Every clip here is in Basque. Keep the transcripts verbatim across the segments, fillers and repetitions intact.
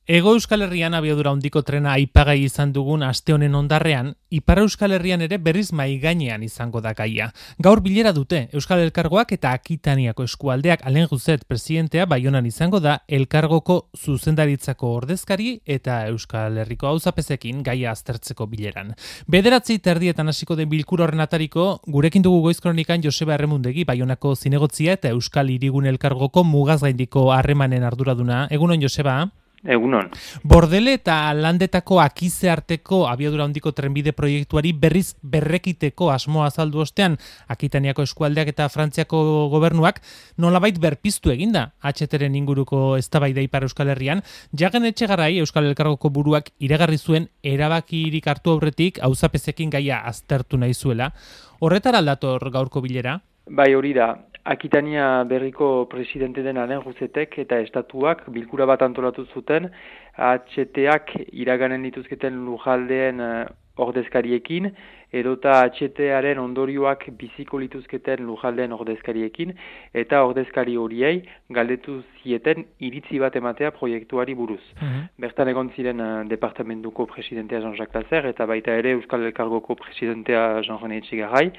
Hego Euskal Herrian abiadura handiko trena aipagai izan dugun aste honen ondarrean, Ipar Euskal Herrian ere berriz mai gainean izango da gaia. Gaur bilera dute Euskal Elkargoak eta Akitaniako eskualdeak. Alain Rousset presidentea Baionan izango da Elkargoko zuzendaritzako ordezkari eta Euskal Herriko auzapezekin gaia aztertzeko bileran. Bederatzi terdietan hasiko den bilkura horren atariko, gurekin dugu Goiz Kronikan Joseba Erremundegi, Baionako zinegotzia eta Euskal Hirigune Elkargoko mugaz gaindiko harremanen arduraduna. Egunon, Joseba? Egunon. Bordele eta landetako akize arteko abiadura handiko trenbide proiektuari berriz berrekiteko asmoa azaldu ostean, Akitaniako eskualdeak eta Frantziako gobernuak nolabait berpiztu eginda H T-ren inguruko eztabaida Ipar Euskal Herrian. Jagen Etxegarai Euskal Elkargoko buruak iragarri zuen erabakirik hartu aurretik auzapezekin gaia aztertu nahi zuela. Horretara aldator gaurko bilera? Bai, hori da. Akitania berriko presidente den Alain Roussetek eta estatuak bilkura bat antolatu zuten H T-ak iraganen dituzketen lujaldeen uh, ordezkariekin edota H T-aren ondorioak biziko lituzketen lujaldeen ordezkariekin eta ordezkari horiei galdetu zieten iritzi bat ematea proiektuari buruz. Uh-huh. Bertan egon ziren uh, departamentuko presidentea Jean-Jacques Lasser eta baita ere Euskal Elkargoko presidentea Jean-René Etxegarai.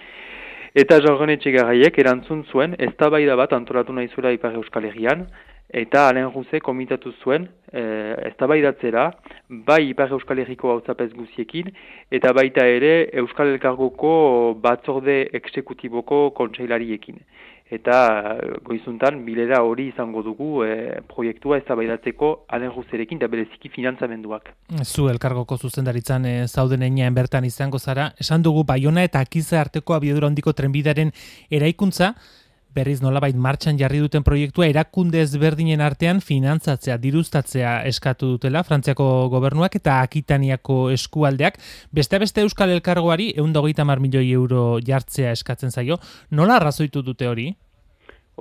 Eta Jean-René Etxegaraiek erantzun zuen eztabaida bat antolatu nahi zuela Ipar Euskal Herrian, eta Alain Rousset komitatu zuen e, eztabaidatzera bai Ipar Euskal Herriko hauzapez guziekin, eta baita ere Euskal Elkargoko batzorde eksekutiboko kontseilariekin. Eta goizuntan bilera hori izango dugu e, proiektua eztabaidatzeko Alain Roussetekin eta bereziki finantzamenduak. Zu Elkargoko zuzendaritzan e, zauden heinean bertan izango zara, esan dugu Baiona eta Akize arteko abiadura handiko trenbidearen eraikuntza, berriz nolabait martxan jarri duten proiektua erakunde ezberdinen artean finantzatzea, diruztatzea eskatu dutela Frantziako gobernuak eta Akitaniako eskualdeak. Beste beste Euskal Elkargoari ehun eta hogeita hamar milioi euro jartzea eskatzen zaio. Nola arrazoitu dute hori?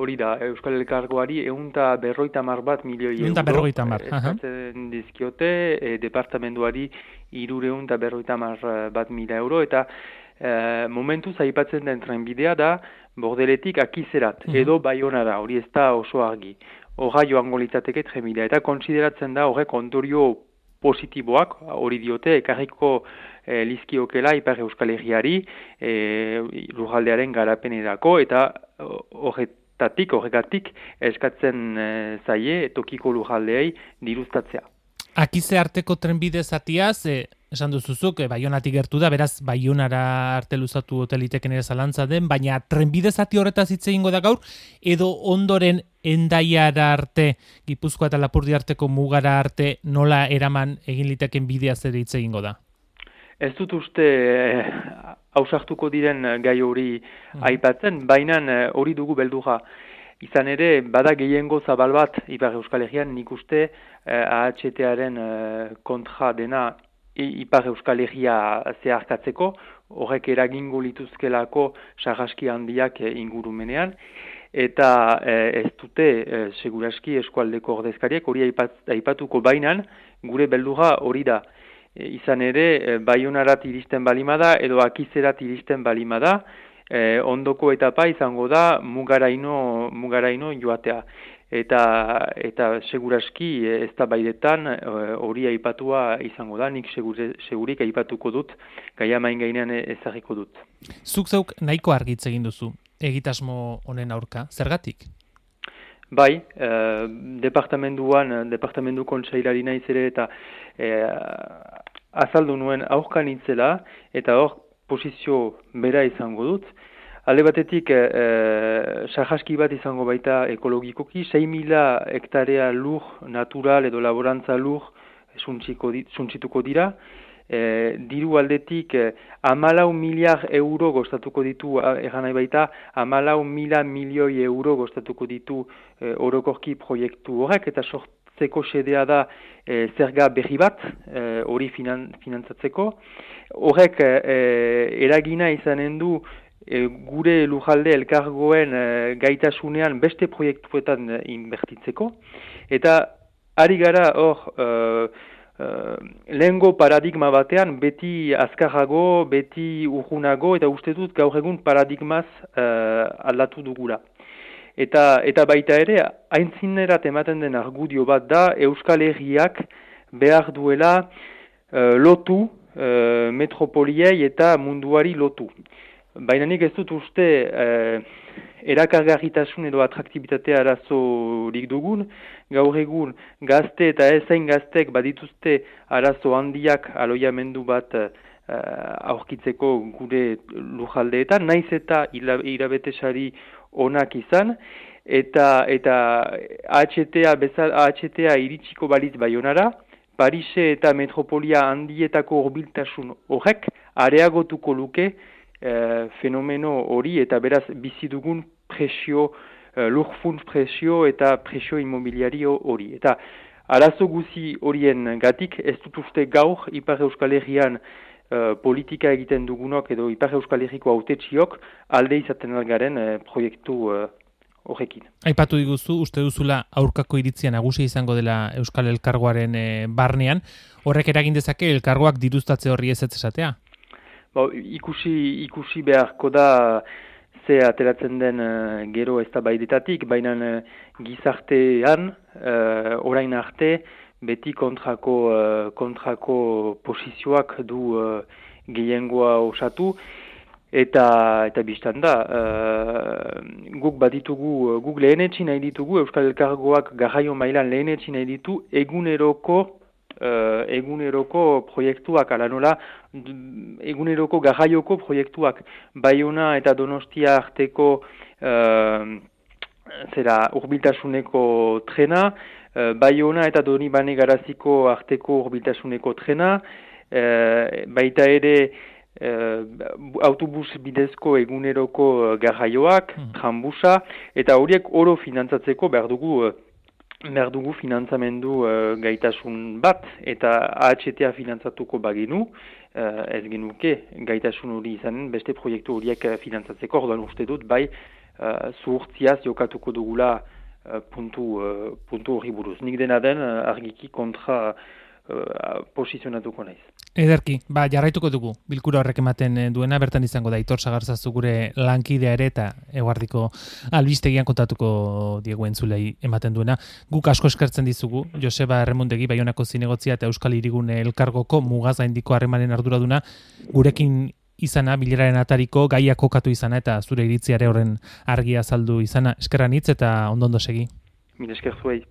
Hori da, Euskal Elkargoari ehun eta berrogeita hamar bat milioi euro eskatzen dizkiote, e, departamenduari hirurehun eta berrogeita hamar bat mila euro, eta e, momentuz aipatzen den trenbidea da Bordeletik Akizerat, mm-hmm. edo Baionara, hori ez da oso argi. Horra joango litzateke trenbidea, eta konsideratzen da horrek ondorio positiboak, hori diote, ekarriko e, lizkiokela Ipar Euskal Herriari e, lurraldearen garapenerako, eta horret Tatik, horregatik, eskatzen e, zaie tokiko lurraldeei diruztatzea. Akize arteko trenbide zatiaz, e, esan duzuzuk, e, Baionatik gertu da, beraz Baionara arte luzatu hoteliteken ere zalantza den, baina trenbide zati horretaz hitz egingo da gaur, edo ondoren Hendaiara arte, Gipuzkoa eta Lapurdi arteko mugara arte, nola eraman egin liteken bidea zer hitz egingo da? Ez dut uste hausartuko eh, diren gai hori mm. aipatzen, baina hori dugu beldurra. Izan ere, bada gehiengo zabal bat Ipar Euskal Herrian, nik uste eh, A H T-aren eh, kontra dena Ipar Euskal Herria zeharkatzeko, horrek eragingo lituzkelako sarraski handiak eh, ingurumenean, eta eh, ez dute eh, seguraski eskualdeko ordezkariek hori aipat, aipatuko bainan, gure beldurra hori da. Izan ere, Baionarat iristen balimada edo Akizerat iristen balimada, eh, ondoko etapa izango da mugaraino, mugaraino joatea. Eta, eta seguraski ez da baidetan hori aipatua izango da, nik segure, segurik aipatuko dut, gaia main gainean ezagiko dut. Zuk zeuk nahiko argitz egin duzu, egitasmo honen aurka, zergatik? Bai, eh, departamenduan, departamendu kontseilari naiz ere eta eh, azaldu nuen aurkan itzela eta hor posizio bera izango dut. Alde batetik, eh, sarraski bat izango baita ekologikoki, sei mila hektarea lur natural edo laborantza lur suntsituko dira. E, diru aldetik eh, hamalau miliar euro gostatuko ditu, egan nahi baita, hamalau mila milioi euro gostatuko ditu eh, orokorki proiektu horrek, eta sortzeko xedea da eh, zerga berri bat, hori eh, finan, finantzatzeko. Horrek eh, eragina izanen du eh, gure lujalde elkargoen eh, gaitasunean beste proiektuetan eh, inbertitzeko, eta ari gara hor eh, Uh, lehengo paradigma batean beti azkarrago, beti urgunago, eta uste dut gaur egun paradigmaz uh, aldatu dugula. Eta, eta baita ere, aintzinerat ematen den argudio bat da Euskal Herriak behar duela uh, lotu uh, metropoliei eta munduari lotu. Baina nik ez dut uste uh, erakargarritasun edo atraktibitatea arazorik dugun, gaur egun gazte eta ezain gaztek badituzte arazo handiak aloiamendu bat uh, aurkitzeko gure lujaldeetan, naiz eta irabetesari onak izan, eta eta A H T A bezala A H T A iritsiko balitz Baionara, Parise eta metropolia handietako hurbiltasun horrek areagotuko luke eh, fenomeno hori eta beraz bizi dugun presio, eh, lurfuntz presio eta presio immobiliario hori. Eta arazo guzi horien gatik ez dut uste gaur Ipar Euskal Herrian Uh, politika egiten dugunok edo Ipar Euskal Herriko hautetsiok alde izaten algaren uh, proiektu uh, horrekin. Aipatu diguzu, uste duzula aurkako iritzia nagusi izango dela Euskal Elkargoaren e, barnean, horrek eragin dezake elkargoak diruztatze horri ez ez esatea? Ba, ikusi, ikusi beharko da ze ateratzen den uh, gero eztabaidetatik, baina uh, gizartean uh, orain arte beti kontrako, uh, kontrako posizioak du uh, gehiengoa osatu, eta eta biztan da, uh, guk baditugu, guk lehenetsi nahi ditugu, Euskal Elkargoak garraio mailan lehenetsi nahi ditu, eguneroko, uh, eguneroko proiektuak, ala nola, eguneroko garraioko proiektuak, Baiona eta Donostia arteko uh, zera hurbiltasuneko trena, Uh, Baiona eta Donibane Garaziko arteko hurbiltasuneko trena, uh, baita ere uh, autobus bidezko eguneroko uh, garraioak, mm. trambusa, eta horiek oro finantzatzeko behar dugu, uh, behar dugu finantzamendu uh, gaitasun bat, eta A H T A finantzatuko bagenu, uh, ez genuke gaitasun hori izanen, beste proiektu horiek uh, finantzatzeko, orduan uste dut, bai, uh, zuhurtziaz jokatuko dugula Uh, puntu, uh, puntu hori buruz. Nik dena den uh, argiki kontra uh, posizionatuko naiz. Ederki, ba, jarraituko dugu, bilkura horrek ematen duena, bertan izango da Aitor Sagarzazu gure lankidea ere eta eguardiko albistegian kontatuko diegu entzulei ematen duena. Guk asko eskertzen dizugu, Joseba Erremundegi, Baionako zinegotzia eta Euskal Hirigune Elkargoko mugazaindiko harremanen arduraduna, gurekin izana, bileraren atariko, gaia kokatu izana eta zure iritziare horren argia azaldu izana. Eskerran hitz eta ondo ondo segi. Mil esker zuei.